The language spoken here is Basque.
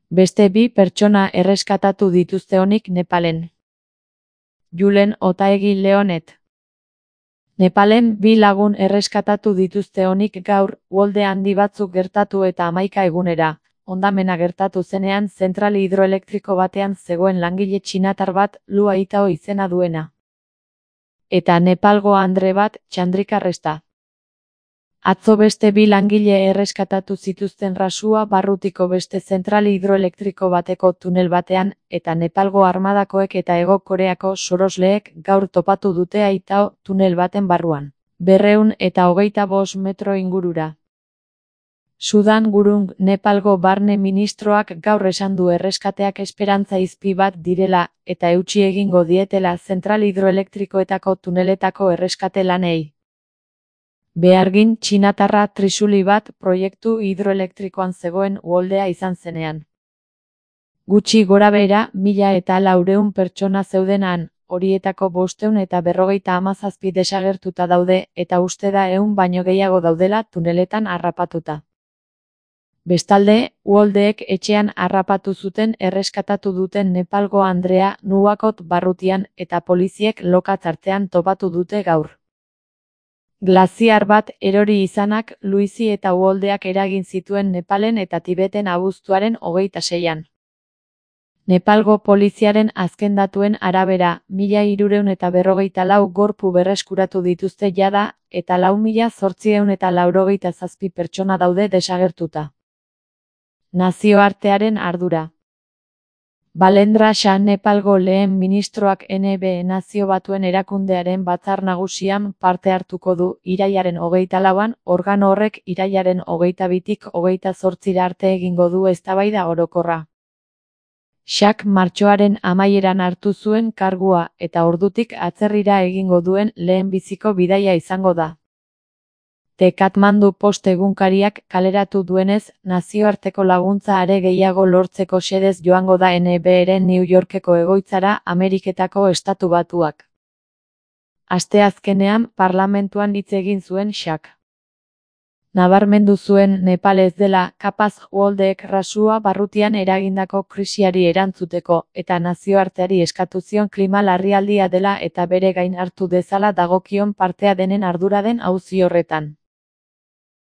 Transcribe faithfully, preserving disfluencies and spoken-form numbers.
Beste bi pertsona erreskatatu dituzte onik Nepalen. Julen Otaegi Leonet. Nepalen bi lagun erreskatatu dituzte onik gaur, uholde handi batzuk gertatu eta hamaika egunera. Hondamena gertatu zenean zentral hidroelektriko batean zegoen langile txinatar bat, Lu Aitao izena duena. Eta Nepalgo andre bat, Chandrika Resta. Atzo beste bi langile erreskatatu zituzten Rasua barrutiko beste zentral hidroelektriko bateko tunel batean, eta Nepalgo armadakoek eta Hego Koreako sorosleek gaur topatu dute Aitao tunel baten barruan. Berrehun eta hogeita bost metro ingurura. Sudan Gurung, Nepalgo barne ministroak gaur esan du erreskateak esperantza izpi bat direla, eta eutsi egingo dietela zentral hidroelektrikoetako tuneletako erreskate lanei. Behargin txinatarra trisuli bat proiektu hidroelektrikoan zegoen uholdea izan zenean. Gutxi gorabehera, mila eta laurehun pertsona zeudenan, horietako bostehun eta berrogeita hamazazpi desagertuta daude, eta uste da ehun baino gehiago daudela tuneletan harrapatuta. Bestalde, uholdeek etxean harrapatu zuten erreskatatu duten Nepalgo andrea Nuwakot barrutian eta poliziek lokatz artean topatu dute gaur. Glaziar bat erori izanak luizi eta uholdeak eragin zituen Nepalen eta Tibeten abuztuaren hogeita seian. Nepalgo poliziaren azken datuen arabera, mila hirurehun eta berrogeita lau gorpu berreskuratu dituzte jada, eta lau mila zortziehun eta laurogeita zazpi pertsona daude desagertuta. Nazioartearen ardura. Balendra Shah Nepalgo lehen ministroak N B Nazio Batuen erakundearen batzar nagusian parte hartuko du, irailaren hogeita lauan, organo horrek irailaren hogeita bitik hogeita zortzira arte egingo du eztabaida orokorra. Shak martxoaren amaieran hartu zuen kargua, eta ordutik atzerrira egingo duen lehenbiziko bidaia izango da. The Kathmandu Post egunkariak kaleratu duenez, nazioarteko laguntza are gehiago lortzeko xedez joango da N B-ren New Yorkeko egoitzara Ameriketako Estatu Batuak. Asteazkenean parlamentuan hitz egin zuen Shak. Nabarmendu zuen Nepal ez dela kapaz uholdeek Rasua barrutian eragindako krisiari erantzuteko, eta nazioarteari eskatu zion klima larrialdia dela eta bere gain hartu dezala dagokion partea denen ardura den auzi horretan.